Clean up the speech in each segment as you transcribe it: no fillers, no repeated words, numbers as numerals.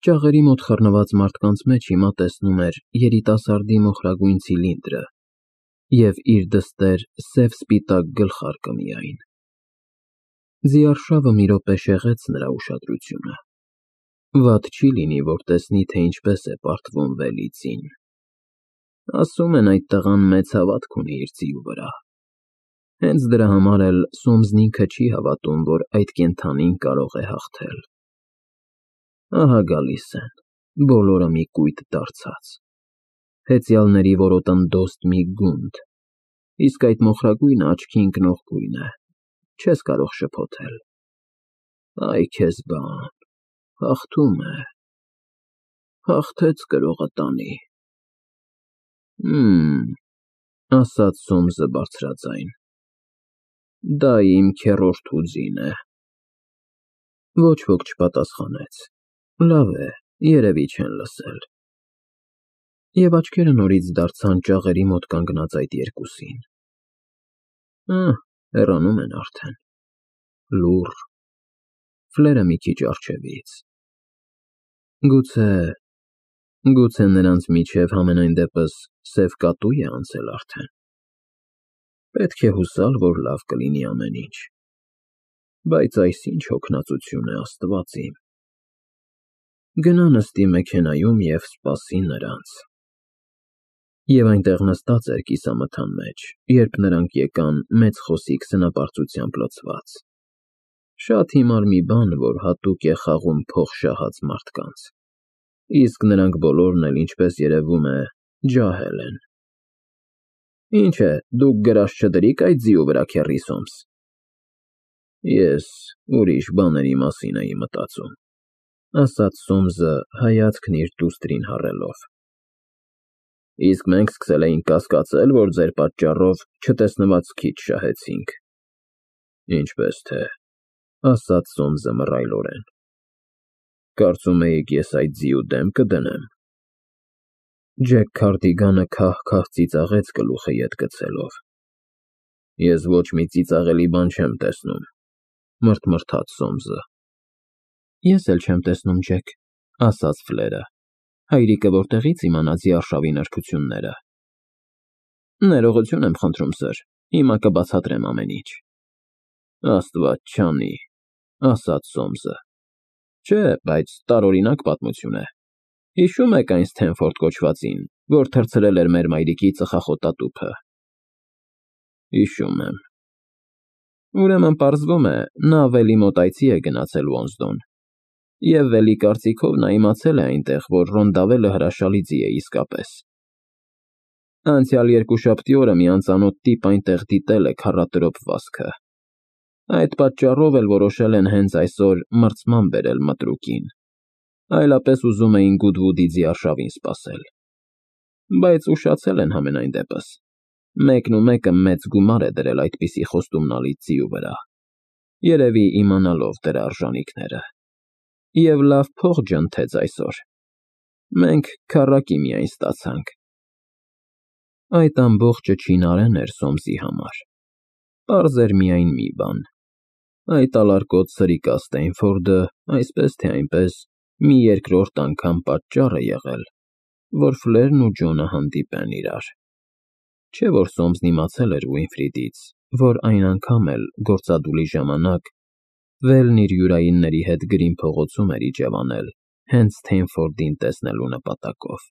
Ճաղերի մոտ խռնված մարդկանց մեջ հիմա տեսնում էր երիտասարդի մոխրագույն ցիլինդրը և իր դստեր սև-սպիտակ գլխարկը միայն։ Ձիարշավը մի րոպե շեղեց նրա ուշադրությունը։ Վատ չի լինի, որ տեսնի, թե ինչպես է պարտվում Վելիցին։ Ասում են այդ տղան մեծ հավատք ունի իր ձիու վրա։ Հենց դրա համար էլ Սոմսն ինքը չի հավատում, որ այդ կենդանին կարող է հաղթել։ Ահա գալիս են, բոլորը մի կույտ դարձած, հեծյալների որոտնդոստ մի գունդ, իսկ այդ մոխրագույնը աչքի ընկնող գույն է, չես կարող շփոթել։ Այ քեզ բան, հաղթում է, հաղթեց կրողը տանի։ Ասաց Սոմսը բարձրաձայն, դա իմ քեռորդու ձին է։ Ոչ ոք չպատասխանեց։ Լավ է, երևի չեն լսել։ Եվ աչքերը նորից դարձան ճաղերի մոտ կանգնած այդ երկուսին։ Հեռանում են արդեն։ Լուռ։ Ֆլերը մի քիչ առջևից։ Գուցե նրանց միջև համենայն դեպս սև կատու է անցել արդեն։ Պետք է հուսալ, որ լավ կլինի ամեն ինչ։ Բայց այս ինչ հոգնածություն է, Աստված իմ։ Գնա նստի մեքենայում և սպասի նրանց։ Եվ այնտեղ նստած էր կիսամթան մեջ, երբ նրանք եկան մեծ խոսիկ սնապարծությամբ լցված։ Շատ հիմար մի բան, որ հատուկ է խաղում փող շահած մարդկանց, իսկ նրանք բոլորն էլ, ինչպես երևում է, ջահել են։ Ինչ է, դուք գրաշ չդրիք այդ ձիու վրա, քեռի Սոմս։ Ես ուրիշ բաների մասին էի մտածում, ասաց Սոմսը հայացքն իր դուստրին հառելով։ Իսկ մենք սկսել էինք կասկածել, որ ձեր պատճառով չտեսնված քիչ շահեցինք։ Ինչպես թե, ասաց Սոմսը մռայլորեն։ Կարծում էիք ես այդ ձիու դեմ կդնեմ։ Ջեք Քարդիգանը քահ-քահ ծիծաղեց գլուխը ետ գցելով։ Ես ոչ մի ծիծաղելի բան չեմ տեսնում, մռթմռթաց Սոմսը։ Ես էլ չեմ տեսնում, Ջեք, ասաց Ֆլերը։ Հայրիկը որտեղի՞ց իմանա ձիարշավի նրբությունները։ Ներողություն եմ խնդրում, սըր, հիմա կբացատրեմ ամեն ինչ։ Աստված չանի, ասաց Սոմսը։ Չէ, բայց տարօրինակ պատմություն է։ Հիշում եք այն Սթենֆորդ կոչվածին, որ թռցրել էր մեր մայրիկի ծխախոտատուփը։ Հիշում եմ։ Ուրեմն պարզվում է, նա Վելի մոտ այցի է գնացել Ոնսդոն, և Վելի կարծիքով նա իմացել է այնտեղ, որ Ռոնդավելը հրաշալի ձի է իսկապես։ Անցյալ երկուշաբթի օրը մի անծանոթ տիպ այնտեղ դիտել է քառատրոփ վազքը։ Այդ պատճառով էլ որոշել են հենց այսօր մրցման բերել մտրուկին, այլապես ուզում էին Գուդվուդի ձիարշավին սպասել։ Բայց ուշացել են համենայն դեպս։ Մեկն ու մեկը մեծ գումար է դրել այդպիսի խոստումնալից ձիու վրա, երևի իմանալով դրա արժանիքները։ Եվ լավ փող ջնթեց այսօր։ Մենք քառակի միայն ստացանք։ Այդ ամբողջը չինարեն էր Սոմսի համար։ Պարզ էր միայն մի բան. այդ ալարկոտ սրիկա Սթենֆորդը, այսպես թե այնպես, մի երկրորդ անգամ պատճառ է եղել, որ Ֆլերն ու Ջոնը հանդիպեն իրար։ Չէ՞ որ Սոմսն իմացել էր Ուինֆրիդից, որ այն անգամ էլ գործադուլի ժամանակ Վելն իր յուրայինների հետ Գրին փողոցում էր իջևանել հենց Սթենֆորդին տեսնելու նպատակով։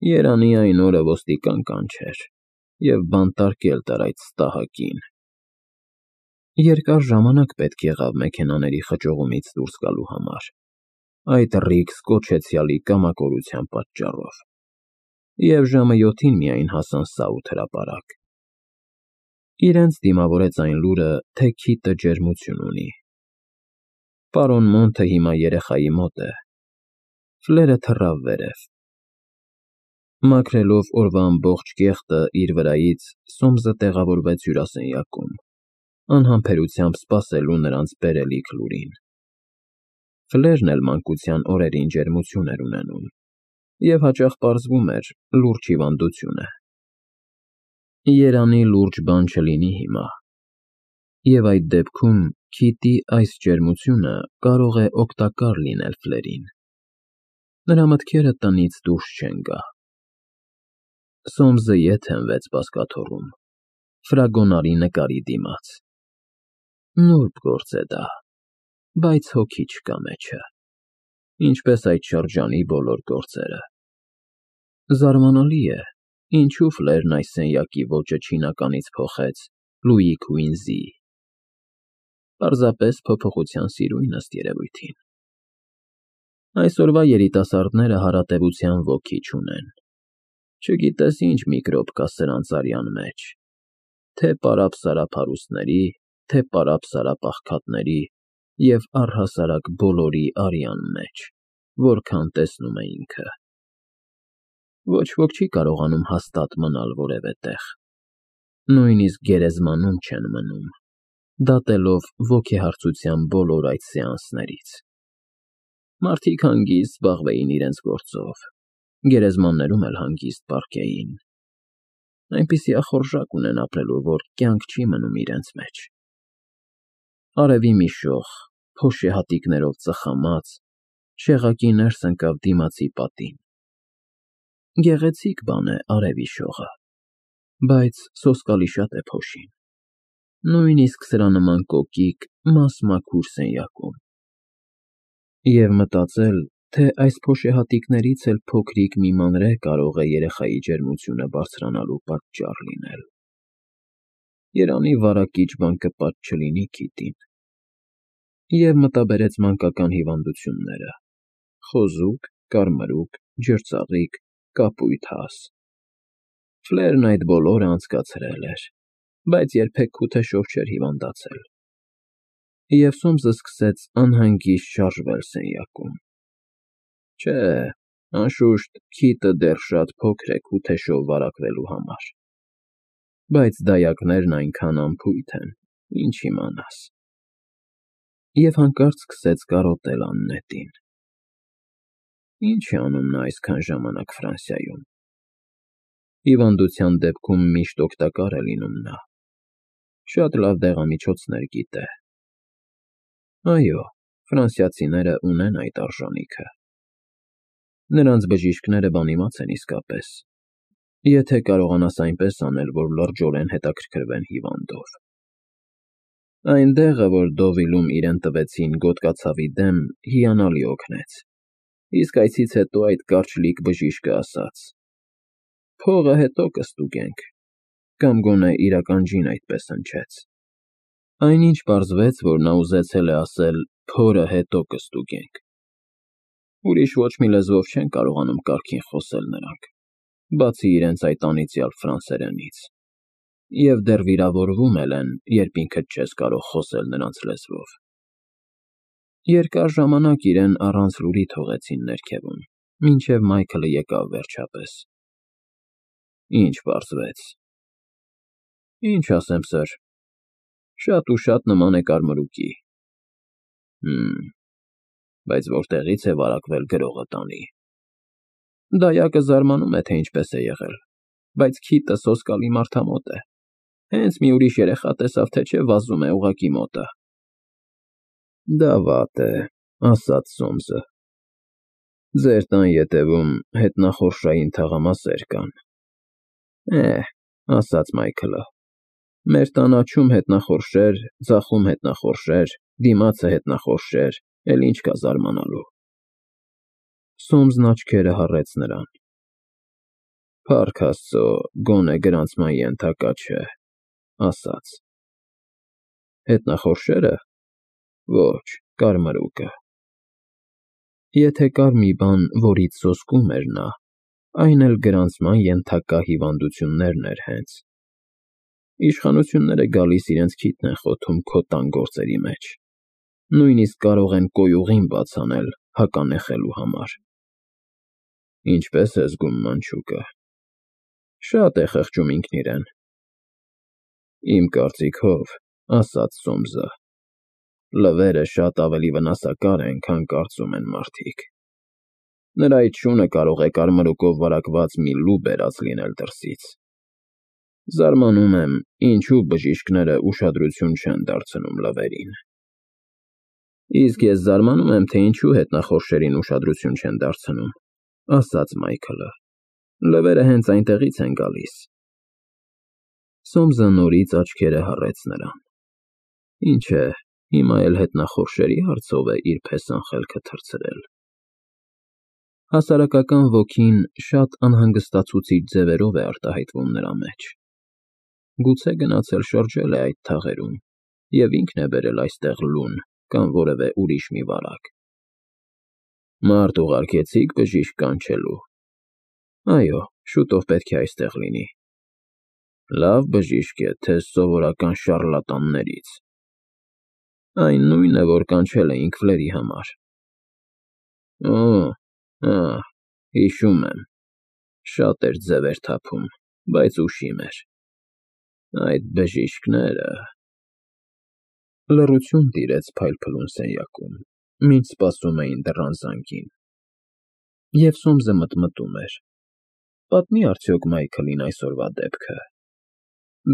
Երանի այն օրը ոստիկան կանչեր և բանտարկել տար այդ ստահակին։ Երկար ժամանակ պետք եղավ մեքենաների խճողումից դուրս գալու համար, այդ ռիգ կոչեցյալի կամակորության պատճառով, և ժամը 7-ին միայն հասան Սաութ հրապարակ։ Իրենց դիմավորեց այն լուրը, թե քիթը ջերմություն ունի։ Պարոն Մոնթը հիմա երեխայի մոտ է։ Ֆլերը թռավ վերև։ Մաքրելով օրվա ամբողջ կեղտը իր վրայից, Սոմսը տեղավորվեց հյուրասենյակում, անհամբերությամբ սպասելու նրանց բերելիք լուրին։ Ֆլերն էլ մանկության օրերին ջերմություն էր ունենում, և հաճախ պարզվում էր լուրջ հիվանդություն է։ Երանի լուրջ բան չլինի հիմա։ Եվ այդ դեպքում քիթի այս ջերմությունը կարող է օգտակար լինել Ֆլերին։ Նրա մտքերը տնից դուրս չեն գա։ Սոմսը ետ հենվեց բազկաթոռում, ֆրագոնարի նկարի դիմաց։ Նուրբ գործ է դա, բայց հոգի չկա մեջը, ինչպես այդ շրջանի բոլոր գործերը։ Զարմանալի է, ինչու Ֆլերն այս սենյակի ոճը չինականից փոխեց Լուի Քուինզի։ Պարզապես փոփոխության սիրույն ըստ երևույթին։ Այսօրվա երիտասարդները հարատևության ոգի չունեն։ Չգիտես ինչ միկրոբ կա սրանց արյան մեջ, թե պարապ-սարափարուստների, թե պարապ-սարապաղքատների և առհասարակ բոլորի արյան մեջ, որքան տեսնում է ինքը։ Ոչ ոք չի կարողանում հաստատ մնալ որևէ տեղ։ Նույնիսկ գերեզմանում չեն մնում, դատելով ոգեհարցության բոլոր այդ սեանսներից։ Մարդիկ հանգիստ զբաղվեին իրենց գործով, գերեզմաններում էլ հանգիստ պառկեին։ Այնպիսի ախորժակ ունեն ապրելու, որ կյանք չի մնում իրենց մեջ։ Արևի մի շող, փոշեհատիկներով ծխամած, շեղակի ներս ընկավ դիմացի պատին։ Գեղեցիկ բան է արևի շողը, բայց սոսկալի շատ է փոշին, նույնիսկ սրա նման կոկիկ, մասմաքուր սենյակում։ Եվ մտածել, թե այս փոշեհատիկներից էլ փոքրիկ մի մանրէ կարող է երեխայի ջերմությունը բարձրանալու պատճառ լինել։ Երանի վարակիչ բան կպած չլինի քիթին։ Եվ մտաբերեց մանկական հիվանդությունները՝ խոզուկ, կարմրուկ, ջրծաղիկ, կապույտ հաս։ Ֆլերն այդ բոլորը անցկացրել էր, բայց երբեք քութեշով չէր հիվանդացել։ Եվ Սոմսը սկսեց անհանգիստ շարժվել սենյակում։ Չէ, անշուշտ, քիթը դեռ շատ փոքր է քութեշով վարակվելու համար, բայց դայակներն այնքան անփույթ են, ինչ իմանաս։ Եվ հանկարծ սկսեց կարոտել աննետին։ Ինչ է անում նա այսքան ժամանակ Ֆրանսիայում։ Հիվանդության դեպքում միշտ օգտակար է լինում նա։ Շատ լավ դեղամիջոցներ գիտե։ Այո, ֆրանսիացիները ունեն այդ արժանիքը։ Նրանց բժիշկները բանիմաց են իսկապես, եթե կարողանաս այնպես անել, որ լրջորեն հետաքրքրվեն հիվանդով։ Այն դեղը, որ Դովիլում իրեն տվեցին գոտկացավի դեմ, հիանալի օգնեց, իսկ այցից հետո այդ կարճլիկ բժիշկը ասաց. «Փողը հետո կստուգենք», կամ գոնե իր ականջին այդպես հնչեց։ Այնինչ պարզվեց, որ նա ուզեցել է ասել «փորը հետո կստուգենք»։ Ուրիշ ոչ մի լեզվով չեն կարողանում կարգին խոսել նրանք, բացի իրենց այդ անիծյալ ֆրանսերենից, և դեռ վիրավորվում էլ են, երբ ինքդ չես կարող խոսել նրանց լեզվով։ Երկար ժամանակ իրեն առանց լուրի թողեցին ներքևում, մինչև Մայքլը եկավ վերջապես։ Ինչ պարզվեց։ Ինչ ասեմ, սըր, շատ ու շատ նման է կարմրուկի։ Բայց որտեղից է վարակվել գրողը տանի։ Դայակը զարմանում է, թե ինչպես է եղել, բայց քիթը սոսկալի մարդամոտ է։ Հենց մի ուրիշ երեխա տեսավ, թե չէ վազում է ուղղակի մոտը։ Դա վատ է, ասաց Սոմսը։ Ձեր տան ետևում հետնախորշային թաղամասեր կան։ Ասաց Մայքլը, մեր տան աջում հետնախորշեր, ձախում հետնախորշեր, դիմացը հետնախորշեր, էլ ինչ կա զարմանալու։ Սոմսն աչքերը հառեց նրան։ Փառք Աստծո, գոնե գրանցման ենթակա չէ, ասաց։ Հետնախորշերը։ Ոչ, կարմրուկը։ Եթե կար մի բան, որից սոսկում էր նա, այն էլ գրանցման ենթակա հիվանդություններն էր հենց։ Իշխանությունները գալիս իրենց քիթն են խոթում քո տան գործերի մեջ, նույնիսկ կարող են կոյուղին բաց անել հականեխելու համար։ Ինչպես է զգում մանչուկը։ Շատ է խղճում ինքն իրեն։ Իմ կարծիքով, ասաց Սոմսը, լվերը շատ ավելի վնասակար են, քան կարծում են մարդիկ։ Նրա այդ շունը կարող է կարմրուկով վարակված մի լու բերած լինել դրսից։ Զարմանում եմ, ինչու բժիշկները ուշադրություն չեն դարձնում լվերին։ Իսկ ես զարմանում եմ, թե ինչու հետնախորշերին ուշադրություն չեն դարձնում, ասաց Մայքլը։ Լվերը հենց այնտեղից են գալիս։ Սոմսը նորից աչքերը հառեց նրան։ Ինչ է, հիմա էլ հետնախորշերի հարցով է իր փեսան խելքը թռցրել։ Հասարակական ոգին շատ անհանգստացուցիչ ձևերով է արտահայտվում նրա մեջ։ Գուցե գնացել շրջել է այդ թաղերում և ինքն է բերել այստեղ լուն կամ որևէ ուրիշ մի վարակ։ Մարդ ուղարկեցի՞ք բժիշկ կանչելու։ Այո, շուտով պետք է այստեղ լինի։ Լավ բժիշկ է, թե սովորական շառլատաններից։ Այն նույնը, որ կանչել էինք Ֆլերի համար։ Հիշում եմ, շատ էր ձևեր թափում, բայց ուշիմ էր։ Այդ բժիշկները… Լռություն տիրեց փայլփլուն սենյակում, մինչ սպասում էին դռան զանգին։ Եվ Սոմսը մտմտում էր. պատմի արդյոք Մայքլին այսօրվա դեպքը։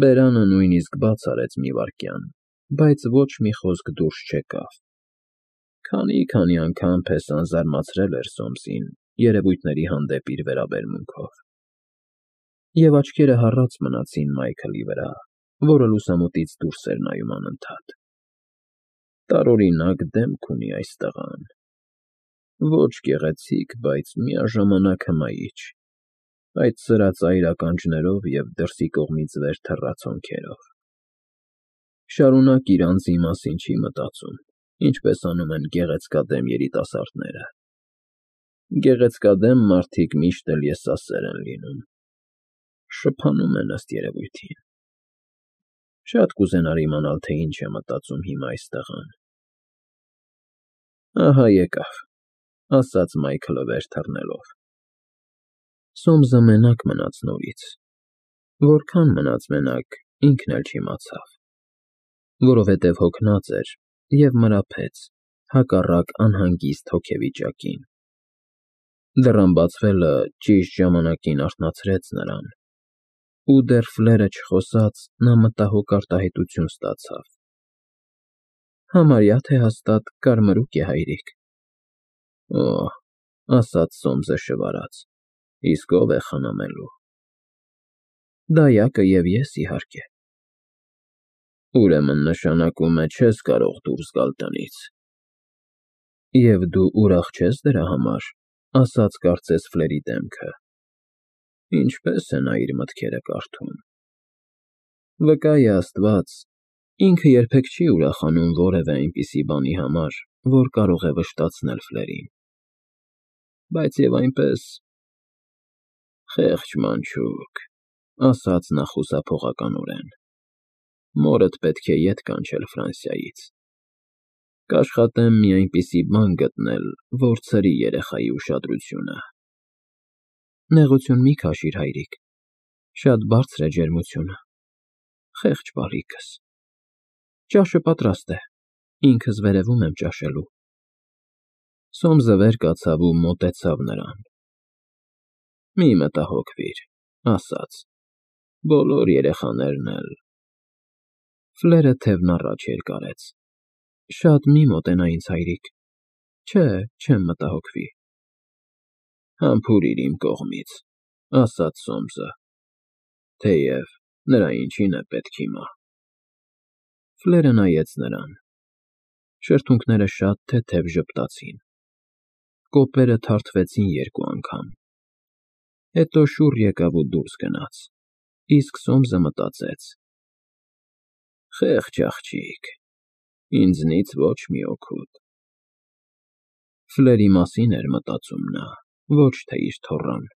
Բերանը նույնիսկ բաց արեց մի վայրկյան, բայց ոչ մի խոսք դուրս չեկավ։ Քանի անգամ փեսան զարմացրել էր Սոմսին երևույթների հանդեպ իր վերաբերմունքով։ Եվ աչքերը հառած մնացին Մայքլի վրա, որը լուսամուտից դուրս էր նայում անընդհատ։ Տարօրինակ դեմք ունի այս տղան։ Ոչ գեղեցիկ, բայց միաժամանակ հմայիչ, այդ սրածայր ականջներով և դրսի կողմից վեր թռած հոնքերով։ Շարունակ իր անձի մասին չի մտածում, ինչպես անում են գեղեցկադեմ երիտասարդները։ Գեղեցկադեմ մարդիկ միշտ էլ եսասեր են լինում։ Շփանում են, ըստ երևույթին։ Շատ կուզենար իմանալ, թե ինչ է մտածում հիմա այս տղան։ Ահա եկավ, ասաց Մայքլը վեր թռնելով։ Սոմսը մենակ մնաց նորից։ Որքան մնաց մենակ, ինքն էլ չիմացավ, որովհետև հոգնած էր և մրափեց, հակառակ անհանգիստ հոգեվիճակին։ Դռան բացվելը ճիշտ ժամանակին արթնացրեց նրան, ու դեռ Ֆլերը չխոսած, նա մտահոգ արտահայտություն ստացավ։ Համարյա թե հաստատ կարմրուկ է, հայրիկ։ Օհ, ասաց Սոմսը շվարած, իսկ ով է խնամելու։ Դայակը և ես, իհարկե։ Ուրեմն նշանակում է չես կարող դուրս գալ տնից։ Եվ դու ուրախ չես դրա համար, ասաց կարծես Ֆլերի դեմքը։ Ինչպես է նա իր մտքերը կարդում։ Վկա է Աստված, ինքը երբեք չի ուրախանում որևէ այնպիսի բանի համար, որ կարող է վշտացնել Ֆլերին։ Բայց և այնպես… Խեղճ մանչուկ, ասաց նա խուսափողականորեն, մորդ պետք է ետ կանչել Ֆրանսիայից։ Կաշխատեմ մի այնպիսի բան գտնել, որ ցրի երեխայի ուշադրությունը։ Նեղություն մի քաշիր, հայրիկ, շատ բարձր է ջերմությունը։ Խեղճ բալիկս։ Ճաշը պատրաստ է, ինքս վերևում եմ ճաշելու։ Սոմսը վեր կացավ ու մոտեցավ նրան։ Մի մտահոգվիր, ասաց, բոլոր երեխաներն էլ… Ֆլերը թևն առաջ երկարեց։ Շատ մի մոտենա ինձ, հայրիկ։ Չէ, չեմ մտահոգվի։ Համբուրիր իմ կողմից, ասաց Սոմսը, թեև նրա ինչին է պետք հիմա։ Ֆլերը նայեց նրան։ Շրթունքները շատ թեթև ժպտացին։ Կոպերը թարթվեցին երկու անգամ։ Հետո շուռ եկավ ու դուրս գնաց, իսկ Սոմսը մտածեց. Խեղճ աղջիկ, ինձնից ոչ մի օգուտ։ Ֆլերի մասին էր մտածում նա, ոչ թե իր թոռան։